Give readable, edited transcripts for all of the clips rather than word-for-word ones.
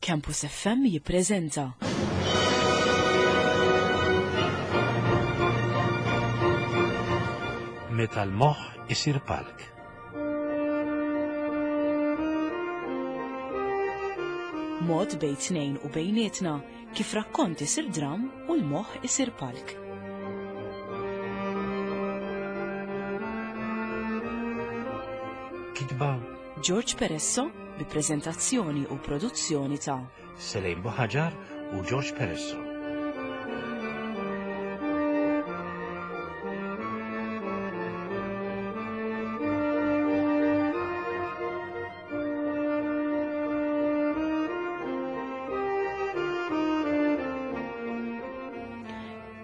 Campus FM jippreżenta. Meta l-moħħ isir palk. Mod bejn tnejn u bejnietna kif rakkont isir dram u l-moħħ isir palk. Kitba George Peresso bi preżentazzjoni u produzzjoni ta' Selejn Buħaġar u George Peresso.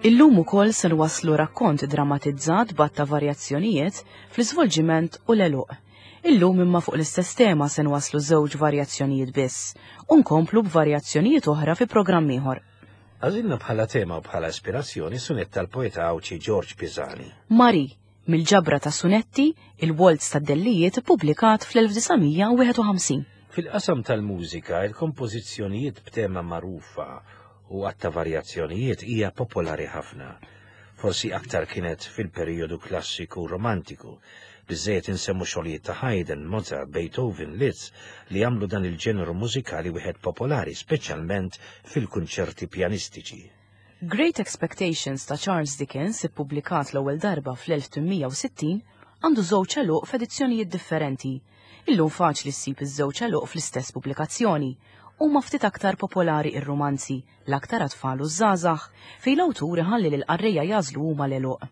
Illum ukoll se nwasslu rakkont drammatizzat b'għadd ta' varjazzjonijiet fl-iżvolġiment u l-għeluq. Illum imma fuq l-istess tema se nwasslu żewġ varjazzjonijiet biss u nkomplu b'varjazzjonijiet oħra fi programm ieħor. Għażilna bħala tema u bħala ispirazzjoni sunett tal-poeta Għawdxi Ġorġ Pisani. Marie, mill-ġabra ta' sunetti Il-Waltz tad-Dellijiet ippubblikat fl-1951. Fil-qasam tal-mużika, il-kompożizzjonijiet b'tema magħrufa u għadd ta' varjazzjonijiet hija popolari ħafna. Forsi aktar kienet fil-perijodu klassiku u romantiku. Biżżejjed insemmu xogħlijiet ta' Haydn, Mozart, Beethoven, Liszt li għamlu dan il-ġeneru mużikali wieħed popolari, speċjalment fil-kunċerti pjanistiċi. Great Expectations ta' Charles Dickens, ippubblikat l-ewwel darba fl-1860, għandu żewġ għeluq f'edizzjonijiet differenti. Illum faċli ssib iż-żewġ għeluq fl-istess pubblikazzjoni. Huma ftit aktar popolari r-rumanzi, l-aktar għat-tfal u ż-żgħażagħ, fejn l-awtur iħalli lill-qarrejja jagħżlu huma l-għeluq.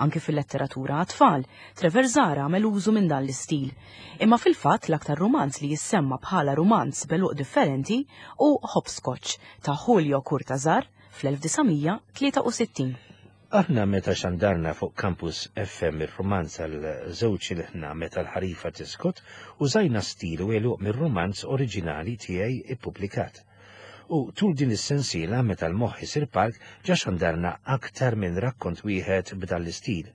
Anki fil-letteratura għat-tfal, Trevor Zahra għamel użu minn dan l-istil. Imma fil-fatt l-aktar rumanz li jissemma bħala rumanz b'għeluq differenti hu Hopscotch ta' Julio Cortázar fl-1963. Aħna meta xandarna fuq Campus FM ir-rumanz għal żewġ ilħna Meta l-ħarifa tiskot, użajna stil u għeluq mir-rumanz oriġinali tiegħi ippubblikat. U tul din is-sensiela Meta l-moħħ isir palk ġa xandarna aktar minn rakkont wieħed b'dan l-istil.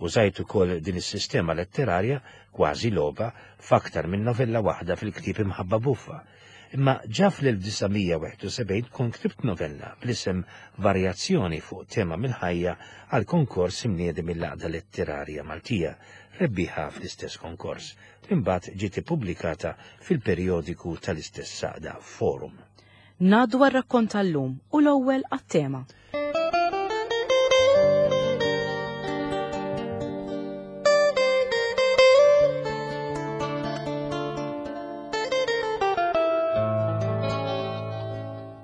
Użajt ukoll din is-sistema letterarja, kważi logħba, f'aktar minn novella waħda fil-ktieb Imħabba Buffa. Imma ġa fl-1971 kont ktibt novella bl-isem Varjazzjoni fuq tema mill-ħajja għal konkors imniedi mill-Għaqda Letterarja Maltija, rebbieħa fl-istess konkors, li mbagħad ġiet ippubblikata fil-perjodiku tal-istess għaqda, Forum. Ngħaddu għar-rakkont tal-lum u l-ewwel għat-tema.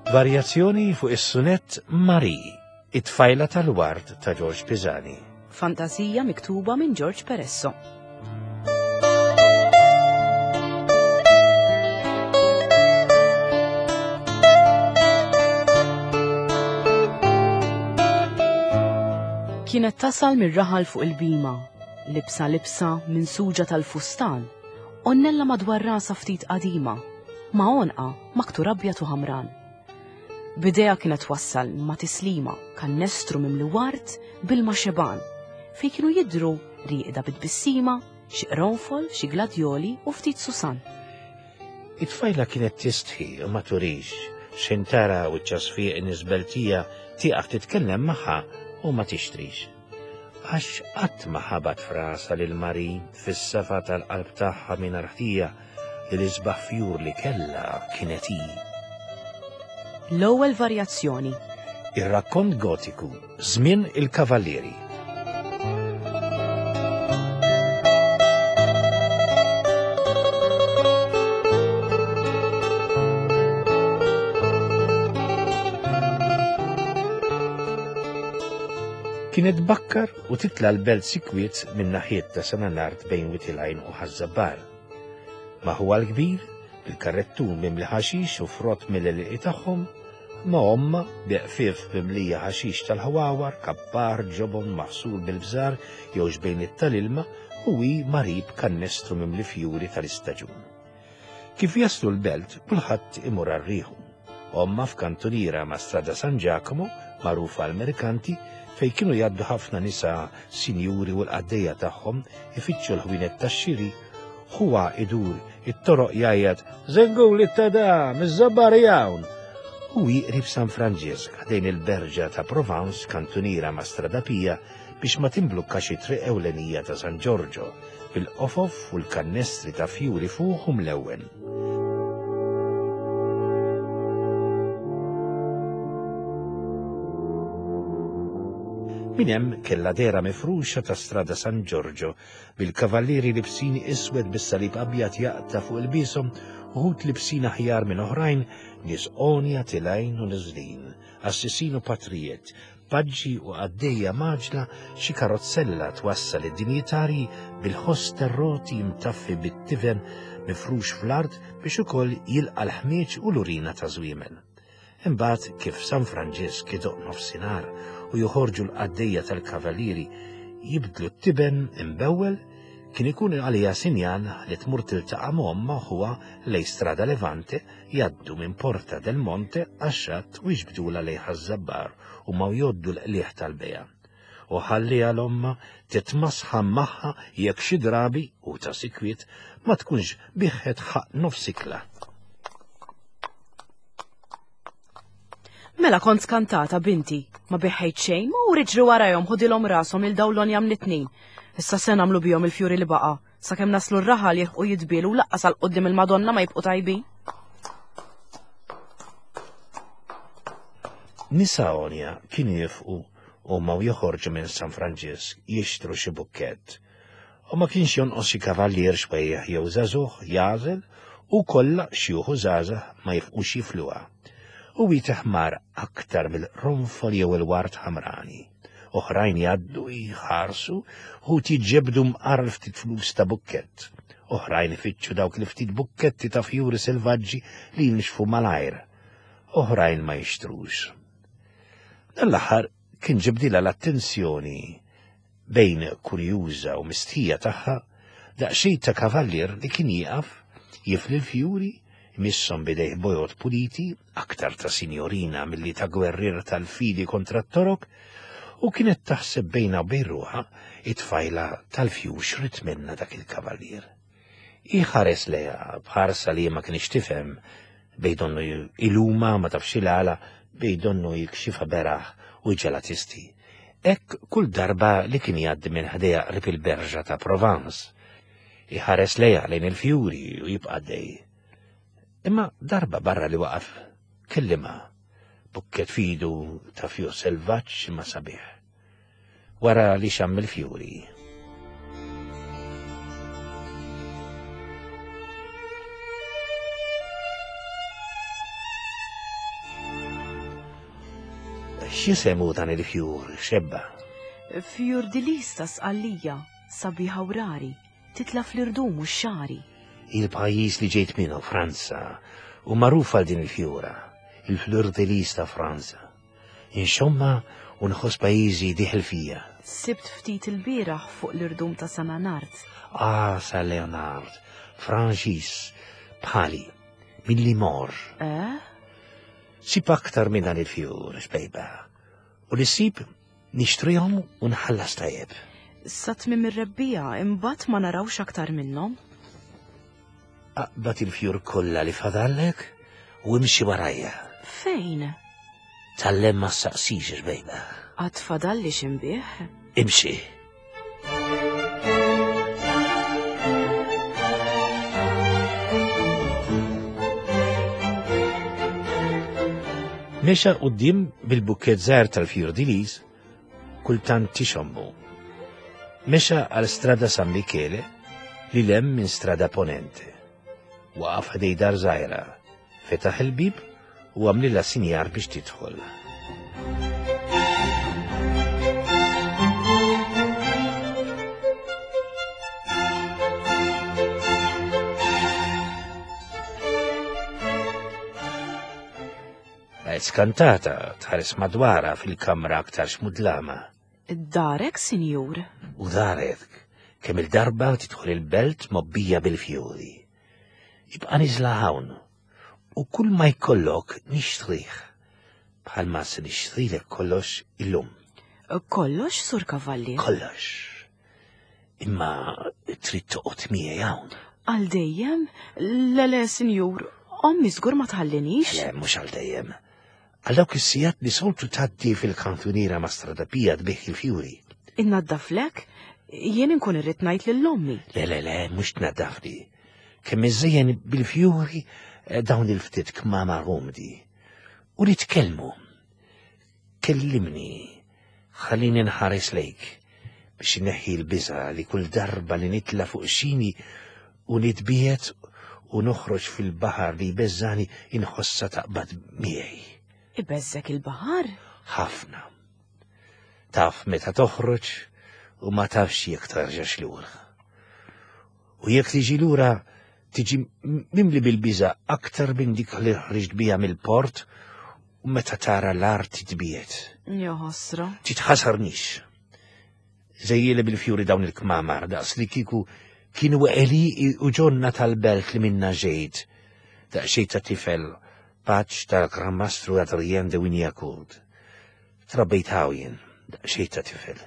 Varjazzjoni fuq is-sunett Marie, it-tfajla tal-ward ta' George Pisani. Fantasija miktuba minn George Peresso. Kienet tasal mir-raħal fuq il-bima, libsa libsa minn suġa tal-fustan, onnella madwar rasa ftit qadima, ma' għonqa maktur abjad u ħamran. B'idejha kienet twassal ma' tislima kannestru mimli ward b'ilma xebgħan, fejn kienu jidhru rieqda bi tbissima, xi qronfol, xi gladjoli u ftit susan. It-tfajla kienet tistħi u ma turix, x'ħin tara wiċċha sfiq nies Beltija tieqaf titkellem magħha u ma tixtrix. Għax qatt ma ħabat f'rasha lil Marie fis-safa tal-qalb tagħha mingħajr ħtija li l-isbaħ fjur li kellha kienet hi. L-ewwel varjazzjoni. Ir-rakkont gotiku Żmien il-Kavallieri. Kienet tbakkar u titla' l-belt sikwit minn naħiet ta' Sananard bejn Wied il-Għajn u Ħaż-Żabbar. Ma' ħuha l-kbir, bil-karrettun mimli ħaxix u frott mill-għelieqi tagħhom, ma' ommha, bi qfief mimlija ħaxix tal-ħwawar, kappar, ġobon maħsul bil-bżar jew xbejniet tal-ilma u hi Marie b'kannestru mimli fjuri tal-istaġun. Kif jaslu l-belt, kulħadd imur għal riħu. Ommha f'kantuniera ma' Strada San Giacomo, magħrufa għall-merkanti, fejn kienu jgħaddu ħafna nisa sinjuri u l-qaddejja tagħhom ifittxu l-ħwienet tax-xiri, ħuha idur it-toroq jgħajjat, Żenguli t-tadam, iż-żabbar hawn! U hi qrib San Franġisk, ħdejn il-berġa ta' Provence, kantuniera ma' Strada Pia, biex ma timblukkax it-triq ewlenija ta' San Ġorġo, bil-qofof u l-kannestri ta' fjuri fuq u mlewwen. Minn hemm kellha dehra mifruxa ta' Strada San Ġorġo, bil-kavallieri libsin iswed bis-salib abjad jaqta' fuq ilbieshom, uħud libsin aħjar minn oħrajn, nies għonja tilgħin u niżlin, qassisin u patrijiet, paġġi u qaddejja mgħaġġla, xi karozzella twassal id-dinjitarji bil-ħoss tar-roti mtaffi bit-tiven mifrux fl-art biex ukoll jilqa' l-ħmieġ u l-urina ta' żwiemel. Imbagħad kif San Franġisk idoqq nofsinhar u joħorġu l-qaddejja tal-kavalieri jibdlu t-tiben imbewwel, kien ikun għaliha sinjal li tmur tiltaqa' ma' ommha u ħuha lejn Strada Levante, jgħaddu minn Porta del Monte għax-xatt u jiġbdulha lejn Ħaż-Żabbar u ma jgħoddu l-qligħ tal-bejgħ. U ħalliha 'l ommha titmasħan magħha jekk xi drabi, u ta' sikwit, ma tkunx biegħet ħaqq nofs ikla. Mela kont skantata binti, ma biħħejt xejn, ma ur iġri warajhom ħudilhom rashom lil dawn l-onjam l-itnejn. Issa se nagħmlu bihom il-fjuri li baqa', sakemm naslu r-raħal jilħqu jitbielu u laqqas għal quddiem il-Madonna ma jibqu tajbin. Nisa għonja kienu jifqu huma u joħorġu minn San Franġisk jixtru xi bukkett. U ma kienx jonqos xi kavallier xwejjaħ jew żagħżugħ jagħżel u kollha xjuħ u żgħażagħ ma jifqux jifluha. U hi teħmar aktar mill-qronfol jew il-ward ħamrani. Oħrajn jgħaddu jħarsu, uħud jiġġebbdu mqar l-ftit flus ta' bukkett. Oħrajn ifittxu dawk l-ftit bukketti ta' fjuri selvaġġi li jinxfu malajr. Oħrajn ma jixtrux. Dan l-aħħar kien ġibdilha l-attenzjoni bejn kurjuża u mistħija tagħha, daqsxejn ta' kavallier li kien jieqaf, jifli l-fjuri, jmisshom b'idejh bojod puliti, aktar ta' sinjorina milli ta' gwerrier tal-fidi kontra t-Torok, u kienet taħseb bejnha u bejn ruħha, it-tfajla tal-fjur x'ried minnha dak il-kavallier. Hi ħares lejha b'ħarsa li ma kienx tifhem, bej donnu iluma ma tafx il-għala, bej donnu jikxifha beraħ u jġegħlha tisti. Hekk kull darba li kien jgħaddi minn ħdejha qrib il-berġa ta' Provence. Iħares lejha lejn il-fjuri u jibqa' għaddej. Imma darba barra li waqaf, kellimha, bukket f'idu ta' fjur selvaġġ imma sabiħ. Wara li xamm il-fjuri. X'jisem hu dan il-fjur, xebba? Fjur di lis ta' Sqallija, sabiħa u rari, titla' fl-irdum u x-xagħri. Il-pajjiż li ġejt minnu, Franza, hu magħruf għal din il-fjura, il-fleur de lis ta' Franza. Inxommha u nħoss pajjiżi dieħel fija. Sibt ftit ilbieraħ fuq l-irdum ta' San Leonard. Ah, San Leonard, Franċiż, bħali, minn Limoges. Eh? Sib aktar minn dan il-fjur, xbejba. U li sib nixtrihom u nħallas tajjeb. Sa tmiem ir-rebbiegħa imbagħad ma narawx aktar minnhom. Aqbad il-fjur kollha li fadallek u imxi warajja. Fejn? Tallem ma ssaqsix, xbejba. Għad fadalli x'imbih? Imxi. Mexa quddiem bil-bukket żgħir tal-fjur di lis, kultant tixommu. Mexa għal Strada San Michele li lem minn Strada Ponente. Waqaf ħdej dar żgħira, fetaħ il-bib u għamlilha sinjar biex tidħol. Baqgħet skantata tħares madwarha fil-kamra aktarx mudlama. Darek, sinjur? U darek, kemm il-darba tidħol il-belt mobbija bil-fjuri. Ibqa' niżla hawn u kull ma jkollok nixtrih, bħalma se nixtrilek kollox illum. Kollox, Sur Kavallier? Kollox. Imma trid toqgħod miegħi hawn. Għal dejjem? Le le, sinjur, ommi żgur ma tħallinix. Le, mhux għal dejjem. Għal dawk is-sigħat li soltu tgħaddi fil-kantuniera ma' Strada Pia tbigħ il-fjuri. Innaddaflek? Jien inkun irrid ngħid lil ommi. Le, le, le, mhux tnaddafli. Kemm iżejjen bil-fjuri eh, dawn il-ftit kmamar umdi. U nitkellmu. Kellimni, ħallini nħares lejk biex inneħħi l-biża' li kull darba li nitla' fuq xini u nitbiegħed u noħroġ fil-baħar li jbeżżani inħossha taqbad miegħi. Ibeżżek il-baħar? Ħafna. Taf meta toħroġ u ma tafx jekk tarġax lura. U jekk tiġi lura tiġi mimli bil-biża' aktar minn dik li ħriġt biha mill-port u meta tara l-art titbiegħed. Ja ħasra. Titħasarnix. Żejjieli bil-fjuri dawn il-kmamar daqs li kieku kienu għelieqi u ġonna tal-belt li minna ġejt. Daqsxejn ta' tifel paċ tal-Gran Mastru Adrien de Wignacourt. Trabbejt hawn jien, daqsxejn ta' tifel.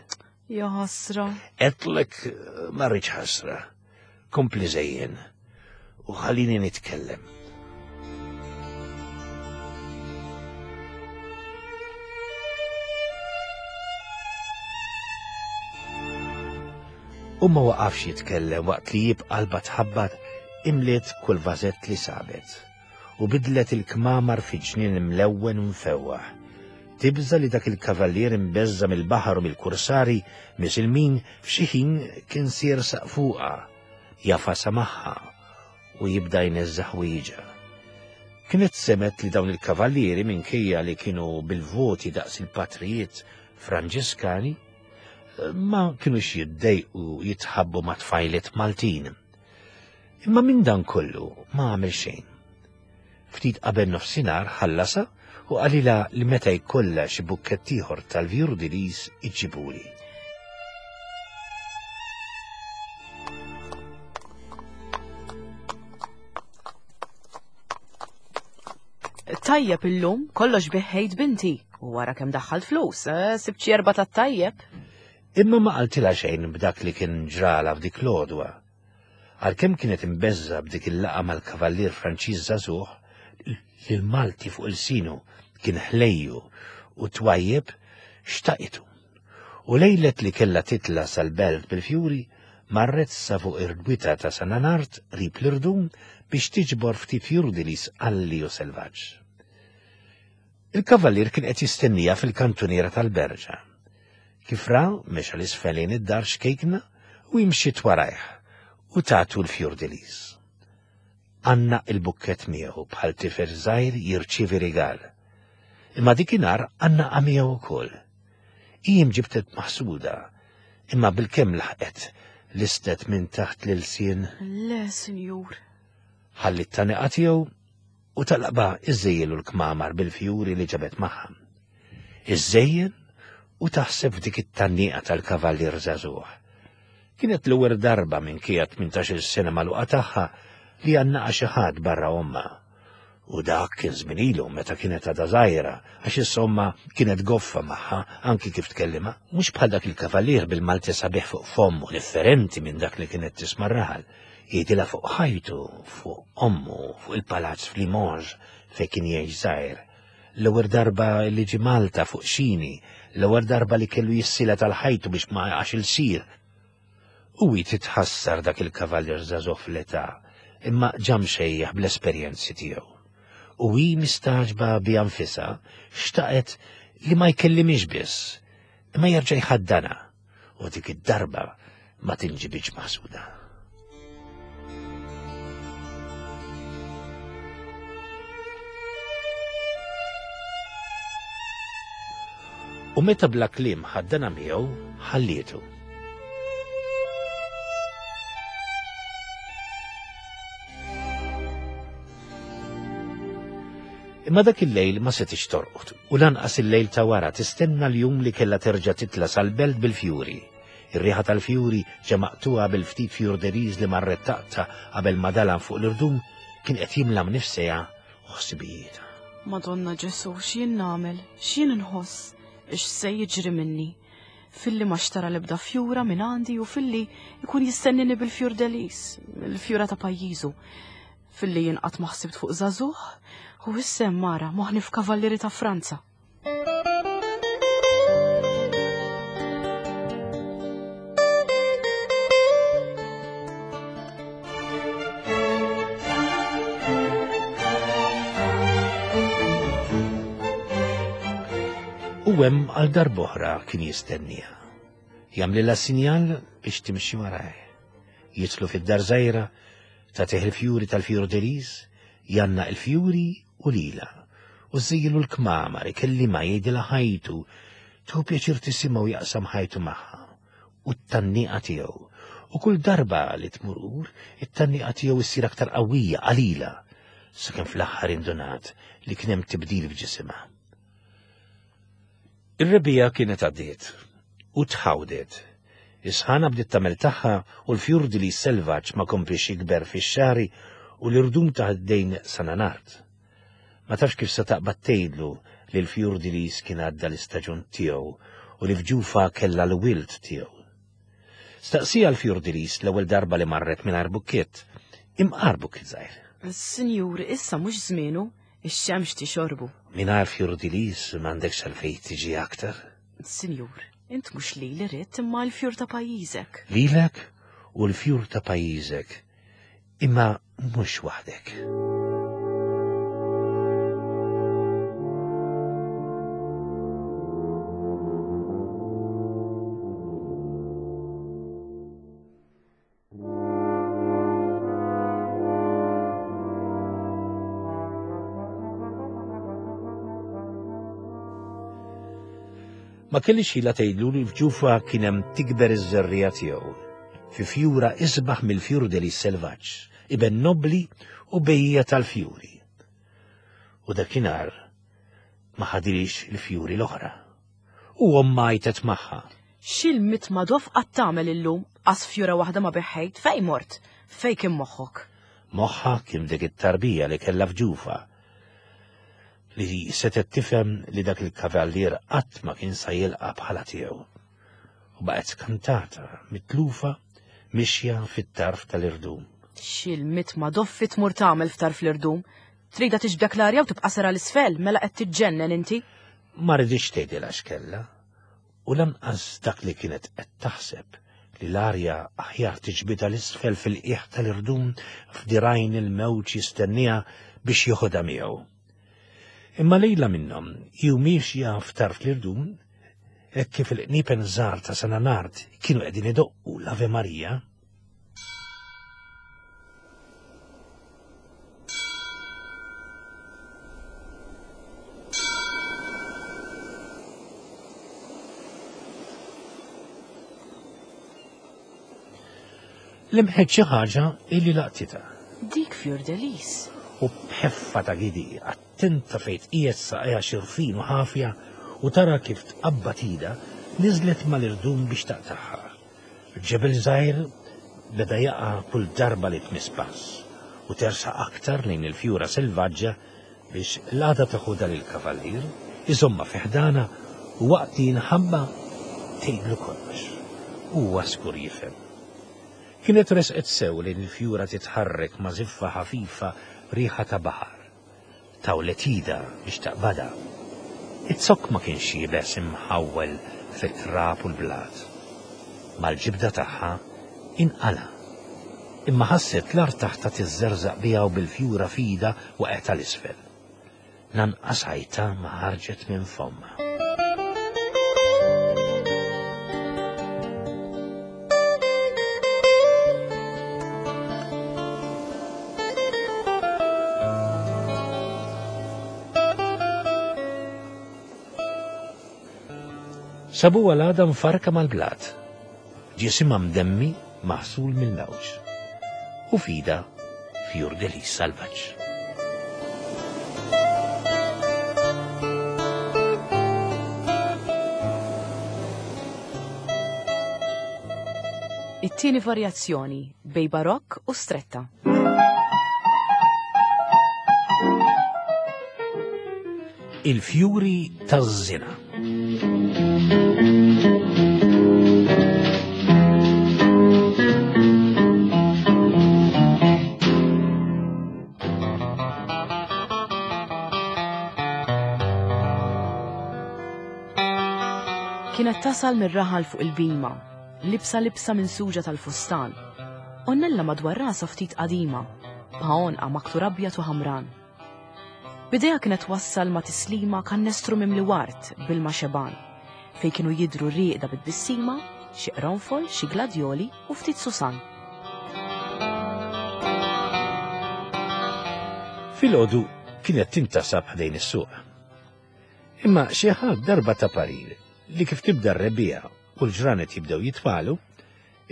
Ja ħasra. Għedtlek ma rridx ħasra. Kompli żejjen u ħallini nitkellem. U ma waqafx jitkellem waqt li jib qalba tħabbat imliet kull vażett li sabet. u bidlet il-kmamar fi ġnien imlewwen u mfewwaħ. Tibża' li dak il-kavallier imbeżża' mill-baħar u mill-kursari misilmin f'xi ħin kien se jersaq fuqha, jagħfasha magħha u jibda jneżża' ħwieġha. Kienet semgħet li dawn il-kavallieri minkejja li kienu bil-voti daqs il-patrijiet Franġiskani, ma kinux jiddejqu jitħabbu ma' tfajliet Maltin. Imma minn dan kollu ma għamel xejn. Ftit qabel nofsinhar ħallasha u qalilha li meta jkollha xi bukkett ieħor tal-vjurdilis iġġibuli. Tajjeb illum, kollox biħħejt binti. U wara kemm daħħalt flus, eh, sibt xi erba' tat-tajjeb. Imma ma qaltilha xejn b'dak li kien ġralha f'dik l-għodwa. Għalkemm kienet imbeżżgħa b'dik il-laqgħa mal-kavallier Franċiż żagħżugħ, li l-Malti fuq ilsienu kien ħlejju u twajjeb, xtaqitu. U lejlet li kellha titla' sal-belt bil-fjuri, marret sa fuq ir-rwita ta' San Anard qrib l-irdum biex tiġbor ftit fjurdili sqalli u selvaġġ. Il-kavallier kien qed jistennija fil-kantuniera tal-berġa. Kif ra, mexa 'l isfel lejn id-dar xkejkna u hi mxiet warajh u tatu l-fjur-de-lis. Għannaq il-bukkett miegħu bħal tifel żgħir jirċievi rigal. Imma dikinhar għannaqha miegħu wkoll. Hi imġibtet maħsuda, imma bilkemm laħqet listet minn taħt l-ilsien. Le, sinjur. Ħalli t-taniqa tiegħu u talqba iżżejjelu l-kmamar bil-fjuri li ġabet magħha. Iżżejjen u taħseb f'dik it-tgħanniqa tal-kavallier żagħżugħ. Kienet l-ewwel darba minkejja 18-il sena magħluqa tagħha li għannaqa xi ħadd barra ommha. U dak kien żmien ilu meta kienet għadha żgħira, għax issa ommha kienet goffa magħha anki kif tkellimha. Mhux bħal dak il-kavallier bil-Malti sabiħ fuq fommu differenti minn dak li kienet tisma' r-raħal. Jgħidilha fuq ħajtu, fuq ommu, fuq il-palazz f'Limoges fejn kien jgħix żgħir. L-ewwel darba li ġie Malta fuq xini, l-ewwel darba li kellu jissilet għal ħajtu biex ma jaqax ilsir. U hi titħassar dak il-kavallier żagħżugħ fl-età, imma ġa mxejjaħ bl-esperjenzi tiegħu. U hi mistagħġba biha nfisha, xtaqet li ma jkellimhiex biss, imma jerġa' jħaddanha. U dik id-darba ma tinġibidx maħsuda. U meta bla kliem ħaddana miegħu, ħallietu. Imma dak il-lejl ma setgħetx torqod u lanqas il-lejl ta' wara tistenna l-jum li kellha terġa' titla' sal-belt bil-fjuri. Ir-riħa tal-fjuri ġa maqtugħa bil-ftit fjurderiż li marret taqta' qabel ma dalam fuq l-irdum kien qed jimla mnifsejha u ħsibijietha. Madonna Ġesù, x'jien nagħmel? X'jien inħoss? X'se jiġri minni? Filli ma xtara l-ebda fjura minn għandi u filli jkun jistennini bil-fjur delis, il-fjura ta' pajjiżu. Filli jien qatt ma ħsibt fuq żagħżugħ u issa hemm mara moħħni f'kavallieri ta' Franza. U hemm għal darb'oħra kien jistenniha. Jagħmlilha sinjal biex timxi warajh. Jitlu fid-dar żgħira, tagħtih il-fjuri tal-fjur delis, jgħannaq il-fjuri u lilha, u żżejjilu l-kmamar, ikellimha, jgħidilha ħajtu, tieħu pjaċir tisimgħu jaqsam ħajtu magħha, u t-tgħanniqa tiegħu. U kull darba li tmur ur, it-tgħanniqa tiegħu ssir aktar qawwija qalila, sakemm fl-aħħar indunat li kien hemm tibdil f'ġisimha. Ir-rebbiegħa kienet għaddiet u tħawdet. Is-sħana bdiet tagħmel tagħha u l-fjurdili selvaġġ ma kompliex jikber fix-xagħri u l-irdum ta' ħdejn Sananart. Ma tafx kif se taqbad tgħidlu li l-fjurdilis kien għadda l-istaġun tiegħu u li f'ġufha kellha l-wild tiegħu. Staqsieha l-fjurdilis l-ewwel darba li marret mingħajr bukkiett, imqar bukkiett żgħir. Sinjur, issa mhux żmienu, ix-xemx tixorbu. Mingħajr fjurdilis m'għandekx għalfejn tiġi aktar. Sinjur, int mhux lili ridt imma l-fjur ta' pajjiżek. Lilek u l-fjur ta' pajjiżek, imma mhux waħdek. Ma kellix ħila tgħidlu li f'ġufha kien hemm tikber iż-żerriegħa tiegħu, fi fjura isbaħ mill-fjur deli selvaġġ, iben nobbli u bejja tal-fjuri. U dakinhar ma ħadilix il-fjuri l-oħra. U ommha għajtet magħha. X'il-mitma dof qatt tagħmel illum, qas fjura waħda ma beħħejt, fejn mort? Fejn kien moħħok? Moħħha kien f'dik it-tarbija li kellha f'ġufha. Li setgħet tifhem li dak il-kavallier qatt ma kien sa jilqa' bħala tiegħu. U baqgħet skantata, mitlufa, mixja fit-tarf tal-irdum. X'il-mitma doffi tmur tagħmel f'tarf l-irdum? Tridha tiġbdek l-arja u tibqa' sera 'l isfel, mela qed tiġġennen inti? Ma riditx tgħidilha x'kellha, u lanqas dak li kienet qed taħseb li l-arja aħjar tiġbidha 'l isfel fil-qiegħ tal-irdum f'dirgħajn il-mewġ jistennieha biex joħodha miegħu. Imma lejla minnhom, hi u miexja f'tarf l-irdum, hekk kif il-qniepen żgħar ta' San Anard kienu qegħdin idoqqu l-Ave Maria, Lemħet xi ħaġa illi laqtitha. Dik Fjur Delis. U b'ħeffa ta' gidi, attenta fejn tqiegħed saqajha xirfin u ħafja u tara kif tqabbad idha, niżlet mal-irdum biex taqtagħha. Ġebel żgħir beda jaqa' kull darba li tmiss pass, u tersaq aktar lejn il-fjura selvaġġa biex l-għada teħodha lill-kavallier, iżommha fi ħdanha u waqt li jinħabba tgħidlu kollox. Huwa żgur jifhem. Kienet resqet sew lejn il-fjura titħarrek ma' żiffa ħafifa riħa ta' baħar. Tawlet idha biex taqbadha. Iz-zokk ma kienx iebes imħawwel fit-trab u l-blat. Mal-ġibda tagħha inqala'. Imma ħasset l-art taħtha tiżżerżaq biha u bil-fjura f'idha waqgħet għal isfel. Lanqas għajta ma ħarġet minn fommha. Sabuha l-għada mfarrka mal-blat, ġisimha mdemmi maħsul mill-mewġ, u f'idha fjur delis salvaġġ. It-tieni varjazzjoni bej barokk u stretta. Il-fjuri taż-żina. Kienet tasal mir-raħal fuq il-bima, libsa libsa minn suġa tal-fustan. Onnella madwar rasha ftit qadima, b'għonqa maktur abjad u ħamran. B'idejha kienet twassal ma' tislima kannestru mimli ward b'ilma xebgħan, fejn kienu jidhru rieqda bi tbissima xi qronfol, xi gladjoli u ftit susan. Filgħodu kienet tintasab ħdejn is-suq. Imma xi ħadd darba ta parir li kif tibda r-rebbiegħa u l-ġranet jibdew jitwalu,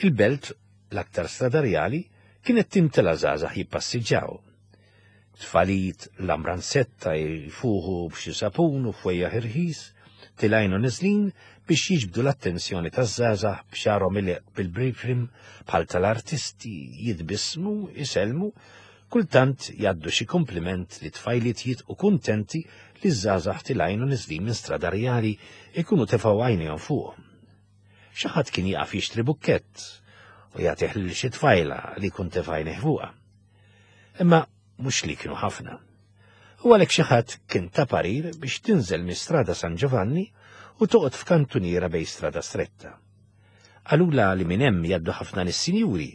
il-belt l-aktar stradarjali kienet timtela żgħażagħ jippassiġġaw. Tfalijiet l-amransetta jfuħu b'xi sapun u fwejjaħ irħis, tilgħin u niżlin biex jiġbdu l-attenzjoni taż-żgħażagħ b'xagħarhom ileqq bil-brifrim bħal tal-artisti, jitbissmu, isellmu, kultant jgħaddu xi kumpliment li tfajliet jitqu kuntenti li ż-żgħażagħ tilgħin u niżlin minn Strada Rjali jkunu tefgħu għajnejhom fuqhom. Xi ħadd kien jaqaf jixtri bukkett u jagħtih lil xi tfajla li jkun tefa' għajnejh fuqha. Imma mhux li kienu ħafna. U għalhekk xi ħadd kien ta parir biex tinżel minn Strada San Giovanni u toqgħod f'kantuniera bej Strada Stretta. Qalulha li minn hemm jgħaddu ħafna nies sinjuri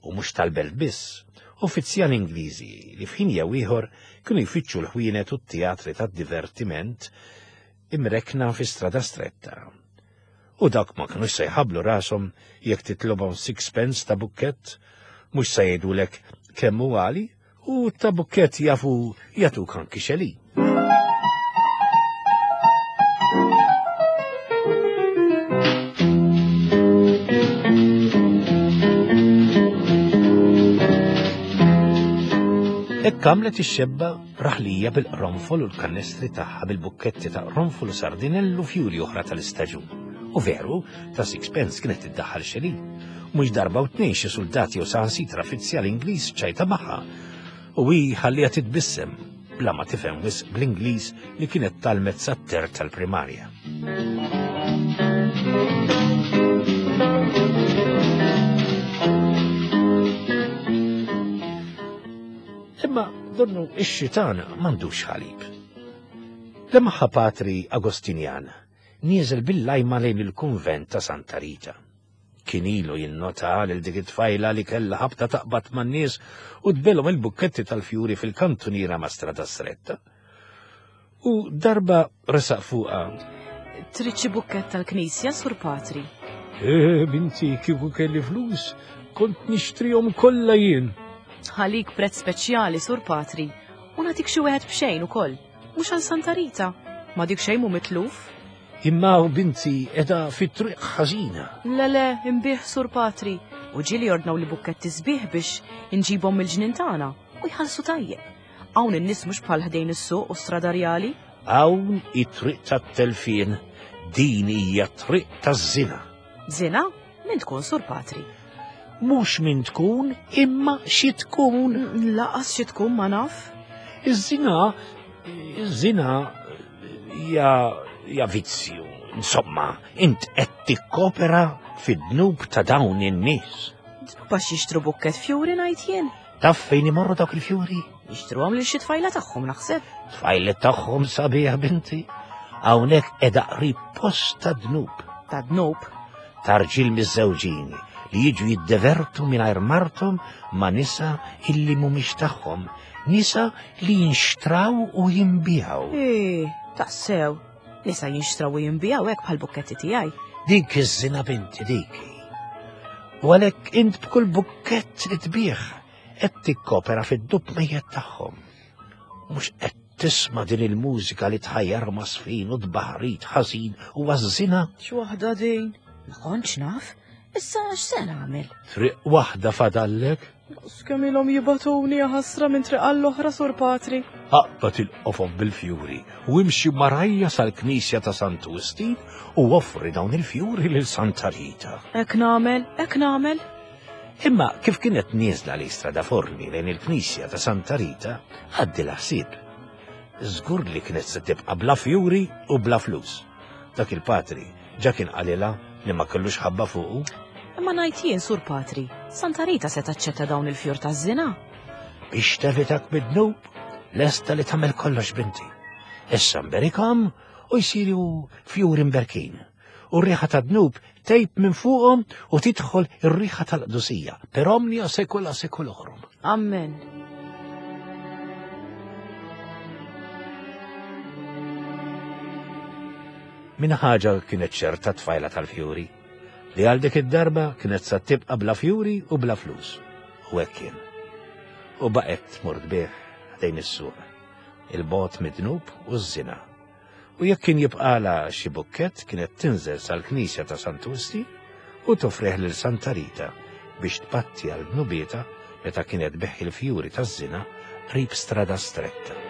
u mhux tal-belt biss, uffizzjali Ingliżi li f'ħin jew ieħor kienu jfittxu l-ħwienet u t-teatri tad-divertiment imrekkna fi Strada Stretta. U dawk ma kinux se jħabblu rashom jekk titlobhom sixpence ta' bukkett, mhux se jgħidulek kemm hu għali u ta' bukkett jafu jagħtuk anki xeli. Hekk għamlet ix-xebba Raħlija bil-qronfol u l-kannestri tagħha bil-bukketti ta' qronfol u sardinell u fjuri oħra tal-istaġun. U veru, ta' sixpence kienet tiddaħħal xeli. Mhux darba u tnejn xi suldati u saħansitra fizzjal Ingliż ċajta magħha. U hi ħalliha titbissem bla ma tifhem wisq bl-Ingliż li kienet talmet sat-ter tal-primarja. Imma donnu ix-xitan m'għandux ħalib. Lemaħa patri Agostinjan nieżel bil-lajma lejn il-kunvent ta' Santa Rita. Kien ilu jinnota lil dik it-tfajla li kellha ħabta taqbad man-nies u tbelhom il-bukketti tal-fjuri fil-kantuniera ma' Strada Stretta. U darba resaq fuqha. Trid xi bukkett tal-knisja, Sur Patri? Eh, binti, kieku kelli flus, kont nixtrihom kollha jien. Ħalik prezz speċjali, Sur Patri, u nagħtik xi wieħed b'xejn ukoll, mhux għal Santa Rita. Ma dik xejn mhu mitluf. Imma u binti edha fit-triq ħażina. Le le, imbih Sur Patri, u ġieli ordnaw li bukketti sbieħ biex inġibhom mill-ġnien tagħna u jħallsu tajjeb. Hawn in-nies mhux bħal ħdejn is-suq u strada rjali. Hawn it-triq tat-telfien, din hija triq taż-żina. Żina? Min tkun sur patri? Mhux min tkun, imma xi tkun. Laqas xi tkun ma naf. Iż-żina, iż-żina hija hija vizzju. Insomma, int qed tikkopera fid-dnub ta' dawn in-nies. Dnub għax jixtru bukket fjuri ngħid jien. Taf fejn imorru dawk il-fjuri? Jixtruhom lil xi tfajla tagħhom naħseb. Tfajla tagħhom sabiħ binti. Hawnhekk qiegħda qrib post ta' dnub. Ta' dnub? Ta' rġiel miżżewġin li jiġu jiddevertu mingħajr marthom ma' nisa illi mhumiex tagħhom, nisa li jinxtraw u jinbiegħu. Eh, tassew. Nisa jinxtraw u jinbiegħu hekk bħal bukketti tiegħi. Dik iż-żina binti dik. U għalhekk int b'kull bukkett li tbigħ qed tikkopera fid-dub mejjet tagħhom. Mhux qed tisma' din il-mużika li tħajjar masfin u tbaħrit ħażin u għaż-żina. X'waħda din? Ma kontx naf. Issa x'se nagħmel? Triq waħda fadallek? Kemm ilhom jibatuni ħasra minn triq għall-oħra sur patri. Aqbad il-qofof bil-fjuri u imxi marajja sal-knisja ta' Santu Wistin u offri dawn il-fjuri lil Santa Rita. Hekk nagħmel, hekk nagħmel. Imma kif kienet nieżla li strada forni lejn il-knisja ta' Santa Rita, għaddi ħsieb. Żgur li kienet se tibqa' bla fjuri u bla flus. Dak il-patri ġa kien qalilha li ma kellux ħabba fuqu. Imma ngħid jien, Sur Patri, Santa Rita se taċċetta dawn il-fjur taż-żina? Biex tevitak mid-dnub, lesta li tagħmel kollox binti. Issa mberikhom u jsiru fjuri mberkin. U r-riħa tad-dnub tgħib minn fuqhom u tidħol ir-riħa tal-qdusija per omnia secula seculorum. Amen. Minn ħaġa kienet ċerta tfajla tal-fjuri, li għal dik id-darba kienet sa tibqa' bla fjuri u bla flus. U hekk kien. U baqgħet tmur tbigħ ħdejn is-suq, il-bogħod mid-dnub u ż-żina. U jekk kien jibqalha xi bukkett kienet tinżel sal-knisja ta' Santu Wistin u toffrih lil Santa Rita biex tpatti għal dnubietha meta kienet tbeħħi l-fjuri taż-żina qrib Strada Stretta.